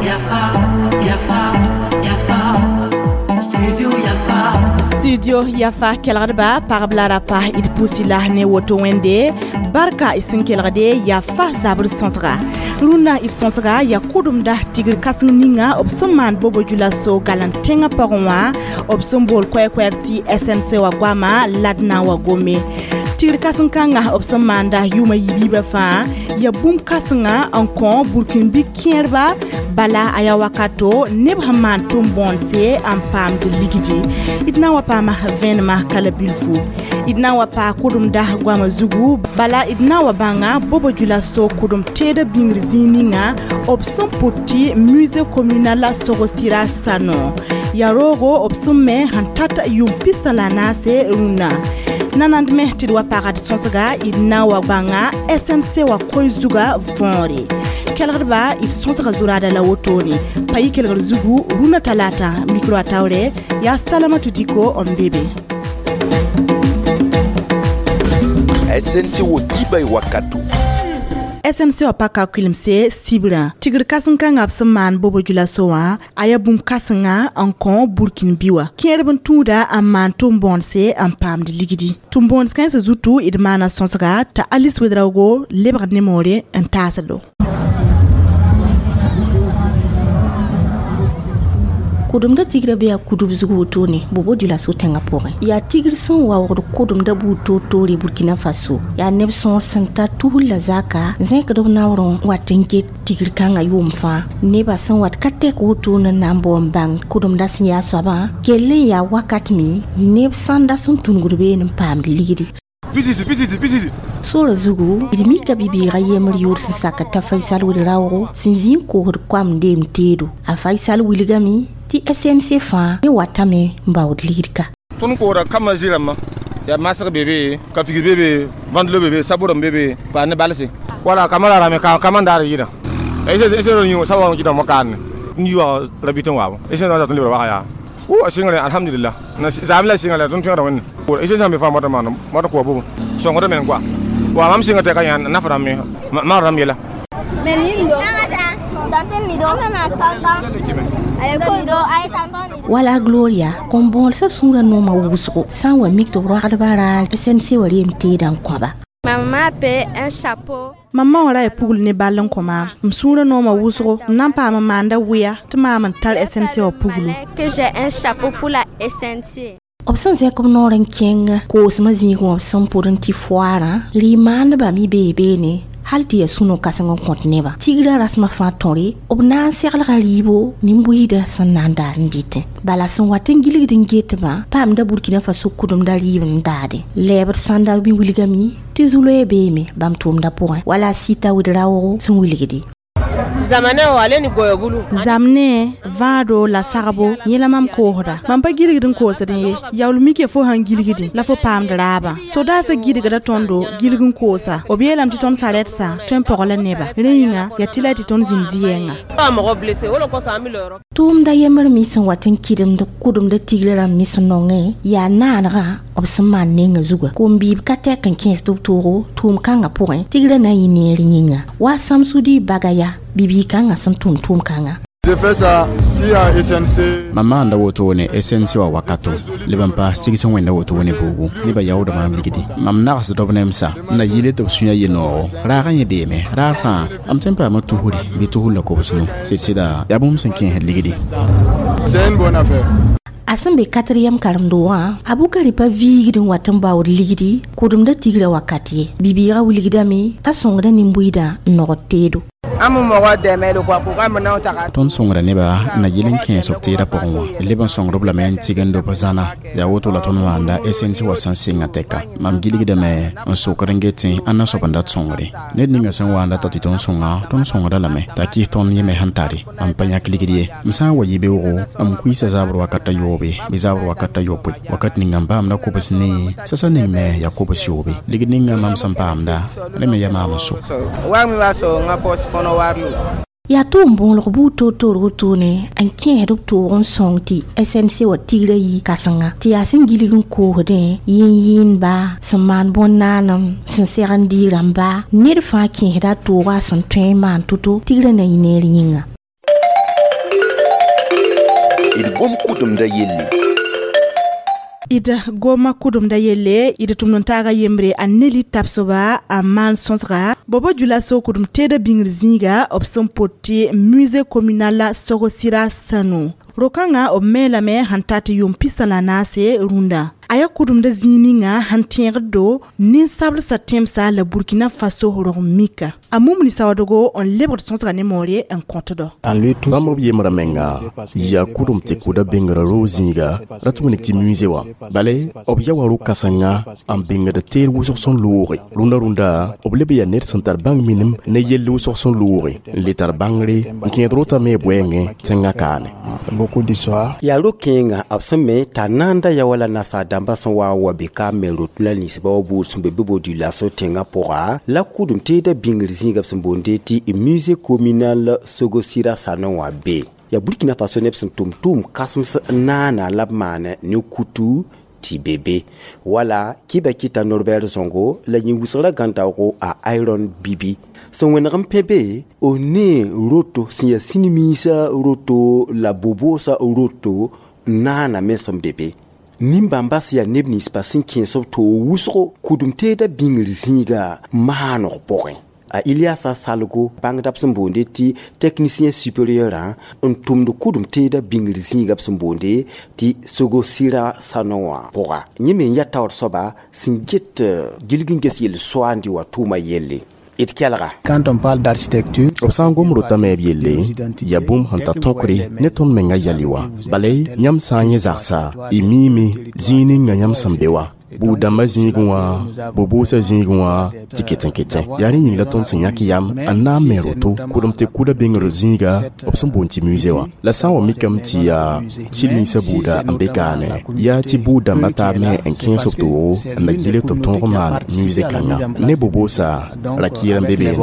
Yafa, Yafa, Yafa, Studio Yafa. Studio Yafa kelgdba pagb la rapa d pusi la ne woto wẽnde barka y sẽn kelgde yafa zabr sõsga rũnnã d sõsga ya kʋdemda tigr kãseng ninga b sẽn maan bobo djulaso galan tẽngã pʋgẽ wã, b sẽn bool koɛɛ-koɛɛg tɩ SNC wa goama lad na n wa gome. Tigr kãseng kãngã b sẽn maanda yʋʋma yiib-yiibã fãa ya bũmb kãsenga n kõ burkĩnbi kẽerba, bala a yaa wakato neb sẽn maan tʋm-bõonse n paamd ligdi. D na n wa paama vẽenemã kala bilfu, d na n wa paa kʋdemda goamã zugu, bala d na n wa bãnga bobo djulaso kʋdem teedã bĩngr zĩig ninga b sẽn pʋt tɩ musée communal Sogosira Sano yaa roogo b sẽn me sẽn tat yʋʋm 14 rũnnã. Nanand me tɩ d wa pagd sõsga, d na n wa bãnga SNC wa koe zuga võore. Kelgdba, d sõsga zuraada la wotone pa yɩ kelgr zugu rũnã talata. Micro a taoore yaa Salamatu Diko n be be. SNC wo dibay wakato. SNC wa paka kuilimse sibrã tigr kãseng kãngã b sẽn maan bobo djulaso wã a yaa bũmb kãsenga n kõ burkin bi wã kẽerb n tũuda n maan tʋm-bõonse n paamd ligdi. Tʋm-bõons kãensã zutu d maana sõsga t'a Alice Wedraogo lebg ne moore n taasdo. Kʋdemda tigrã be yaa kudb zug wotone bobo djulaso tẽngã pʋgẽ. Yaa tigr sẽn waoogd kʋdemda buud toor-toore Burkina Faso. Yaa neb sõor sẽn tar tusr la zaka zẽkd b naoor n wat n get tigr kãngã yʋʋm fãa. Nebã sẽn wat ka tɛk wotone n na n bao n bãng kʋdemda sẽn yaa soabã kell n yaa wakat me neb sãnda sẽn tũnugd beene n paamd ligdi. Pisisi, pisisi, pisisi. Sora zugu, d mika bibiigã yembr yʋʋr sẽn sak t'a Faisal Wedraoogo sẽn zĩ n koosd koam deem teedo. A Faisal wilgame tɩ SNC fãa ne watame n baood ligd ka. Tõnd koosda kambã zɩ-rãmbã yaa masg be be, ka figd be be, ventilo be be, sabʋrem be be, pa ne balse wala kambã ra rame ka kambã n daar yɩɩdã. S sa wa kɩtã mokaadne n yi wa rabit n waabo SNC wã tɩ lebra waga yaa o a sɩngre, alhamdulillah, zaam la sɩnga la tõnd tõegda wẽnde SNC sã n be fãa moata maan moata koa bubu sõngda men koa wa mam sɩnga tɩ ka yã naf rãmb me maag rãmb yɛla. Wala Gloria kõn-bõolsã sũurã noomã wʋsgo sã n wa mik tɩ b roagdbã raar SNC wa reem teedã n kõba. Ma maman a payé un chapeau. Mam ma wã ra yaa pugl ne ball n kõ maam. M sũurã noomã wʋsgo m na n paam n maanda wɩa tɩ maam n tar SNC wã puglo. Que j'ai un chapeau pour la SNC. B sẽn zẽk b noor n kẽng koosmã zĩig wã b sẽn pʋd n tɩ foaarã rɩ-maandbã me bee beene hal tɩ yaa sũ-no-kãseng n kõt nebã. Tigrã rasmã fãa tõre b na n seglga rɩɩbo nin-buiidã sẽn na n daar n dɩtẽ. Bala sẽn wat n gilgd n getbã paamda Burkina Faso kʋdemda rɩɩb n daade. Lɛɛbd sãnda me wilgame tɩ zu-loɛɛ beeme bãmb tʋʋmdã pʋgẽ wala a Sita Wedraoogo sẽn wilgde. Zamane o ale ni goyo bulu. Zamne vãado la sagbo yẽ la mam koosda. Mam pa gilgd n koosdẽ ye, yaool mike fo sãn gilgdẽ la fo paamd raabã. Sodaasã gilgda tõndo gilg n koosa. B yeelame tɩ tõnd sarɛdsa tõe n pɔg la neba. Rẽ yĩnga yaa tɩ la tɩ tõnd zĩnd zɩ-yɛnga. Ka mɔgɔ blessé o le kosɔn an bɛ lɔ yɔrɔ. Tʋʋmda yembr me sẽn wat n kɩdemd kʋdemda tigrã rãmb me sẽn nongẽ yaa naanegã b sẽn maan nengã zuga. Kom-biib ka tɛk n kẽes tɩ b toogo tʋʋm kãngã pʋgẽ tigrã na n yɩ neer yĩnga wa Samsudi Bagaya bibii kãngã sẽn tʋm tʋʋm kãngã. J'ai fait ça si à SNC. Mam maanda wotone SNC wa wakato leb n paas tigs n wẽnda wotone boogo nebã yaoodã maam ligdi. Mam nagsd b nemsa n na yɩle tɩ b sũyã yenoog raagã yẽ beeme raar fãa m tõe n paama tusre bɩ tusr la kobsno sɩd-sɩda yaa bũmb sẽn kẽesd ligdi. C'est une bonne affaire. A sẽn be quatrième karen-doogã, a Bukari pa viigd n wat n baood ligdi kʋdemda tigrã wakat ye. Bibiigã wilgdame t'a sõngda nin-buiidã n nogd teedo. An bɛ mɔgɔ dɛmɛ de quoi k'u ka minɛnw ta ka Tõnd sõngra nebã n na yɩl n kẽes b teedã pʋgẽ wã leb n sõngd b lame n tigend b zãna. Yaa woto la tõnd maanda SNC wa sẽn sɩnga tɛka. Mam gilgdame n sokd n getẽ ãnna soab n dat sõngre. Ned ninga sẽn wa n data tɩ tõnd sõnga, tõnd sõngda lame t'a kɩs tõnd yẽ me sẽn tare. Mam pa yãk ligd ye. M sã n wa yɩ beoogo, m kuiisa zabr wakat a yoobe bɩ zabr wakat a yopoe. Wakat ninga m paamda kobs ne sasa ning me yaa kobs yoobe. Ligd ninga mam sẽn paamda rẽ me yaa maam n so. Wari min b'a sɔrɔ n ka poche kɔnɔ wari lo. Yaa tʋʋm bõolg buud toor-toor wotone n kẽesd b toog n sõng tɩ SNC wa tigrã yi kãsenga tɩ yaa sẽn gilg n koosdẽ yẽn-yẽendba sẽn maan bõn-naanem sẽn seg n dɩ rãmba ned fãa kẽesda a toogã a sẽn tõe n maan to-to tigrã na yɩ neer yĩnga. D gom kʋdemda yelle. D goma kʋdemda yelle, d tʋmd n taaga yembre a Neli tabsoba a maan sõsga Bobo Dioulasso kʋdem teeda bĩngr zĩiga b sẽn pot tɩ musée communal Sogosira Sanou. Ro-kãngã b me lame sẽn ta tɩ yʋʋm 14 rũndã. A yaa kʋdemda zĩig ninga sẽn tẽegd do ninsablsã tẽmsa la Burkina Faso rog mika. A Mumni Sawadogo n lebgd sõsga ne moore n kõtdo. Bãmb b yembrã menga yaa kʋdem tɩ kʋda bĩngrã roog zĩiga ra tɩ wilg tɩ musée wã. Bale b ya wa ro-kãsenga n bĩngd teed wʋsg sẽn looge. Rũndã rũndã b leb yaa ned sẽn tar bãng minim ne yell wʋsg sẽn looge n le tar bãngre n kẽed rotã me bʋɛɛngẽ tẽngã kaane. Yaa ro-kẽengã b sẽn me t'a naanda ya wala nasaar dãmbã sẽn wa n wa be ka me rot la ninsbã wa buud sẽn be Bobo Dioulasso tẽngã pʋga la kʋdem teeda bĩngr zĩiga b sẽn boonde tɩ musée communal Sogosira Sanou wã be. Yaa Burkina Faso neb sẽn tʋm tʋʋm kãsems n naana la b maan ne kutu tɩ be be wala kɩba kɩta Norbert Zongo la yĩn wʋsgrã gãn-daoogo a Iron Bibi sẽn wẽneg n pẽ be o ne roto sẽn yaa sĩnimiisã roto la boboosã roto n naana me sẽn be be. Nin-bãmba sẽn yaa neb ninsbã sẽn kẽes b toog wʋsgo kʋdem teeda bĩngr zĩiga maanog pʋgẽ. A Iliasa Salgo bãngda b sẽn boonde tɩ technicien supérieur n tʋmd kʋdem teeda bĩngr zĩiga b sẽn boonde tɩ Sogosira Sanou wã pʋga. Yẽ me n yaa taoor soaba sẽn get gilg n ges yel-soaande wã tʋʋma yelle. D kelga. Quand on parle d'architecture, b sã n gom rotame b yelle yaa bũmb sẽn tar tõkre ne tõnd menga yɛl wã. Bala yãmb sã n yẽ zagsa, y miime zĩig ninga yãmb sẽn be wã. Buud-dãmbã zĩigẽ wã, bo-boosã zĩigẽ wã tɩ ket n ketẽ. Yaa rẽ yĩng la tõnd sẽn yãk yam n na n me roto kʋdem tɩ kʋda bĩngr zĩiga b sẽn boond tɩ musée wã. La sã n wa mikame tɩ yaa sɩd-minsã buuda n be kaane, yaa tɩ buud-dãmbã taab me n kẽes b toogo n na gilg tɩ b tõog n maan musée kãnga. Ne bo-boosã ra-kɩɩr n be beene.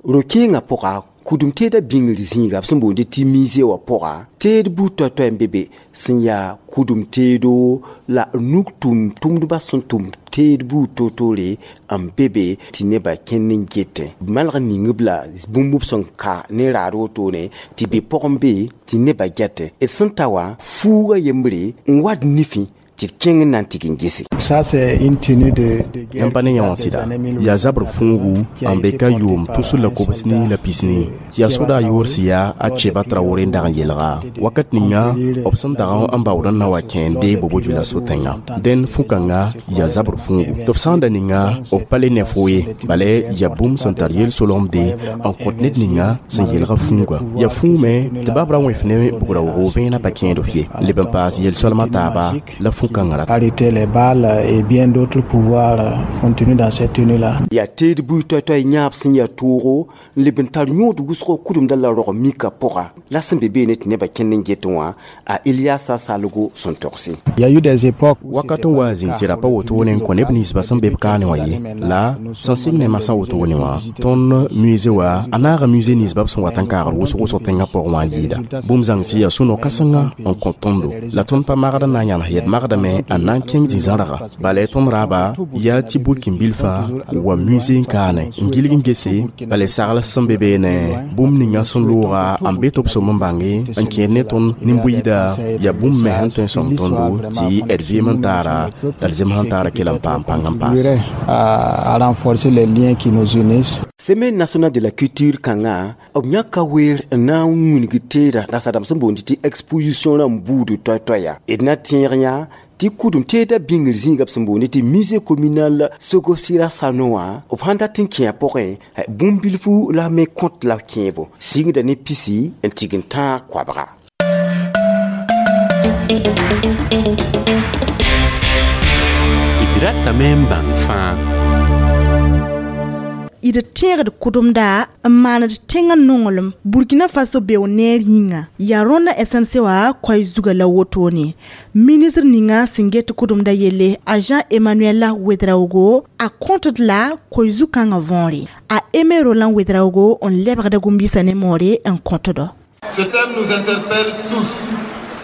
Ro-kẽengã pʋga kʋdem teeda bĩngr zĩiga b sẽn boonde tɩ musée wã pʋga teed buud toay-toay n be be sẽn yaa kʋdem teedo la nug tʋm tʋmdbã sẽn tʋm teed buud toor-toore n be be tɩ nebã kẽnd n getẽ. B malg n ning-b la bũmb b sẽn ka ne raad wotone tɩ be pʋgẽ be tɩ nebã gɛtẽ. D sẽn ta wã fuuga yembre n wat nifẽ tɩ d kẽng n na n tɩg n gese. Ça, c'est une tenue de guerre Yãmb pa ne yã wã sɩda yaa zabr fũugu n be ka yʋʋm 2014 tɩ yaa soda a yoor sẽn yaa a Cheba Traoré n dag n yelga wakat ninga b sẽn dag n baood n na wa kẽende Bobo Dioulasso tẽngã. Dẽn fu-kãngã yaa zabr fũugu tɩ b sã n da ninga b pa le ne fo ye, bala yaa bũmb sẽn tar yel-solemde n kõt ned ninga sẽn yelga fũuga. Yaa fũume tɩ bab ra wẽf ne bugra-wogo vẽenã pa kẽed f ye leb n paas yel-soalmã taaba la fu-kãngã rat. Arrêter les balles et bien d'autres pouvoirs continuent dans cette tenue-là. Yaa teed buud toay-toay yãab sẽn yaa toogo n leb n tar yõod wʋsgo kʋdemda la rog mika pʋga la sẽn be beene tɩ nebã kẽnd n get wã a Iliasa Salgo sẽn togse. Il y a eu des époques où Wakat n wa n zĩnd tɩ ra pa wotone n kõ neb ninsbã sẽn be b kaane wã ye la sẽn sɩng ne masã wotone wã tõnd musée wã a naaga musée ninsbã b sẽn wat n kaagd wʋsg wʋsg tẽngã pʋgẽ wã n yɩɩda. Bũmb zãng sẽn yaa sũ-no-kãsenga n kõ tõndo la tõnd pa magd n na n yãnes yɛd magdame n na n kẽng zĩ-zãrga. Bala tõnd raaba yaa tɩ burkin-bilfã wa musée n kaane n gilg n gese bala sagl sẽn be beene bũmb ninga sẽn looga n be tɩ b som n bãnge n kẽed ne tõnd nin-buiida yaa bũmb me sẽn tõe n sõng tõndo tɩ d vɩɩm n taara la d zems sẽn taara kell n paam pãng n paase. À renforcer les liens qui nous unissent. Semaine nationale de la culture kãngã b yãka weer n na n wilg teeda nasaadãmb sẽn boond tɩ exposition rãmb buud toay-toaya. D na tẽeg yã tɩ kʋdem teeda bĩngr zĩiga b sẽn boonde tɩ musée communal Sogosira Sanou wã b sãn dat n kẽ a pʋgẽ bũmb bilfu la me kõt la kẽebo sɩngda ne pisi n tig n tãag koabga. D ratame n bãng fãa. D tẽegd kʋdemda n maand tẽngã nonglem Burkina Faso beo neer yĩnga yaa rõnda SNC wã koɛɛ zuga la wotone. Ministr ninga sẽn get kʋdemda yelle, a Jean Emmanuel Ouedraogo, a kõtd la koe zu-kãngã võore. A Aimé Roland Ouedraogo n lebgda gũm-biisã ne moore n kõtdo. Ce thème nous interpelle tous.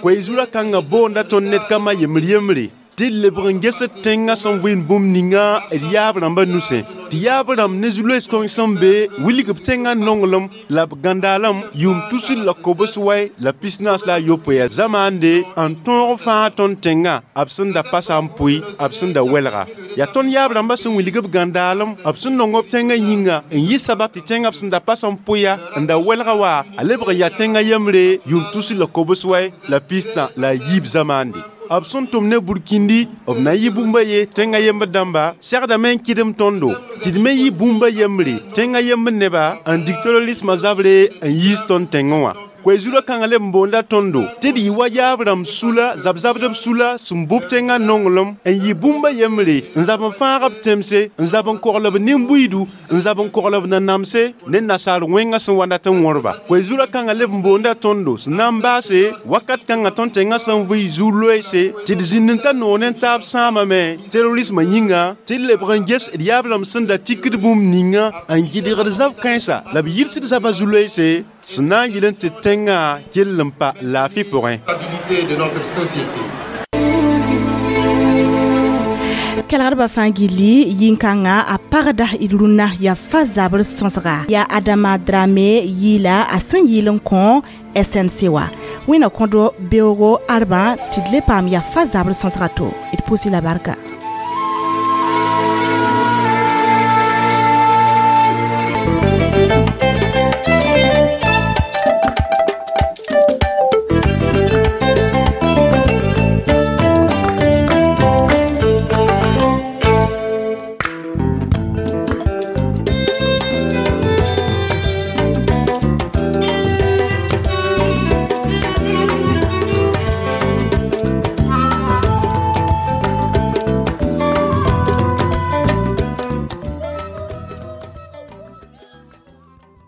Koe-zura kãngã boonda tõnd ned kambã yembr yembre tɩ d lebg n ges tẽngã sẽn vɩɩnd bũmb ninga d yaab rãmbã nusẽ, tɩ yaab rãmb ne zu-loees kõng sẽn be wilg b tẽngã nonglem la b gãndaalem yʋʋm 2049 zamaande n tõog fãa tõnd tẽngã b sẽn da pasa n pʋɩ, b sẽn da wɛlga. Yaa tõnd yaab rãmbã sẽn wilg b gãndaalem, b sẽn nong b tẽngã yĩnga n yɩ sabab tɩ tẽngã b sẽn da pas n pʋɩa n da wɛlga wa a lebg n yaa tẽngã yembre yʋʋm 2093 zamaande. B sẽn tʋm ne Burkindi, b na yɩ bũmba ye tẽngã yembr dãmba segdame n kɩdem tõndo tɩ d me yɩ bũmba yembre tẽngã yembr neba n dig terrorismã zabre n yiis tõnd tẽngẽ wã. Koe-zurã kãngã leb n boonda tõndo tɩ d yɩ wa yaab rãmb sula, zab-zabdb sula sẽn bʋb tẽngã nonglem n yɩ bũmba yembre n zab n fãag b tẽmse, n zab n kogl b nin-buiidu, n zab n kogl b nanamse ne nasaar wẽngã sẽn wa dat n wõrba. Koe-zurã kãngã leb n boonda tõndo sẽn na n baase wakat kãngã tõnd tẽngã sẽn vɩ zu-loeese tɩ d zĩnd n ta noor ne taab sãamame terrorismã yĩnga, tɩ d lebg n ges d yaab rãmb sẽn da tikd bũmb ninga n gɩdgd zab kãensa la b yɩlsd zabã zu-loeese sẽn na n yɩl n tɩ tẽngã kell n pa laafɩ pʋgẽ. Kelgdbã fãa gilli yĩn-kãngã a pagda d rũnnã yaa fa zabr sõsga yaa Adama Drame yɩɩla a sẽn yɩɩl n kõ SNC wa wẽna kõdo beoogo arbã tɩ d le paam yaa fa zabr sõsga to d pʋsɩ la barka.